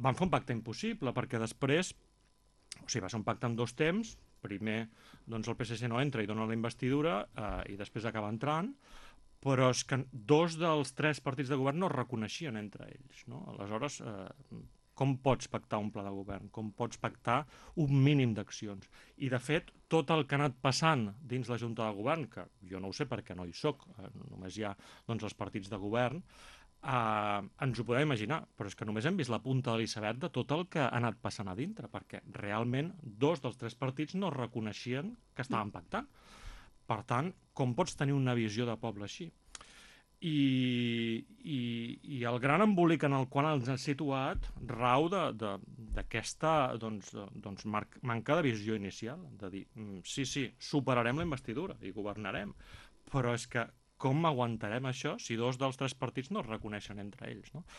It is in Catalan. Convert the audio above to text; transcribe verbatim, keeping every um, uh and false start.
van fer un pacte impossible, perquè després, o sigui, va ser un pacte en dos temps. Primer, doncs el P S C no entra i dona la investidura, eh, i després acaba entrant, però és que dos dels tres partits de govern no es reconeixien entre ells, no? Aleshores, eh, com pots pactar un pla de govern? Com pots pactar un mínim d'accions? I, de fet, tot el que ha anat passant dins la Junta de Govern, que jo no ho sé perquè no hi soc, eh, només hi ha doncs, els partits de govern, eh, ens ho podem imaginar, però és que només hem vist la punta de l'iceberg de tot el que ha anat passant a dintre, perquè realment dos dels tres partits no reconeixien que estaven pactant. Per tant, com pots tenir una visió de poble així? I, i, i el gran embolic en el qual ens ha situat rau d'aquesta doncs, doncs manca de visió inicial, de dir, sí, sí, superarem la investidura i governarem, però és que com aguantarem això si dos dels tres partits no es reconeixen entre ells, no?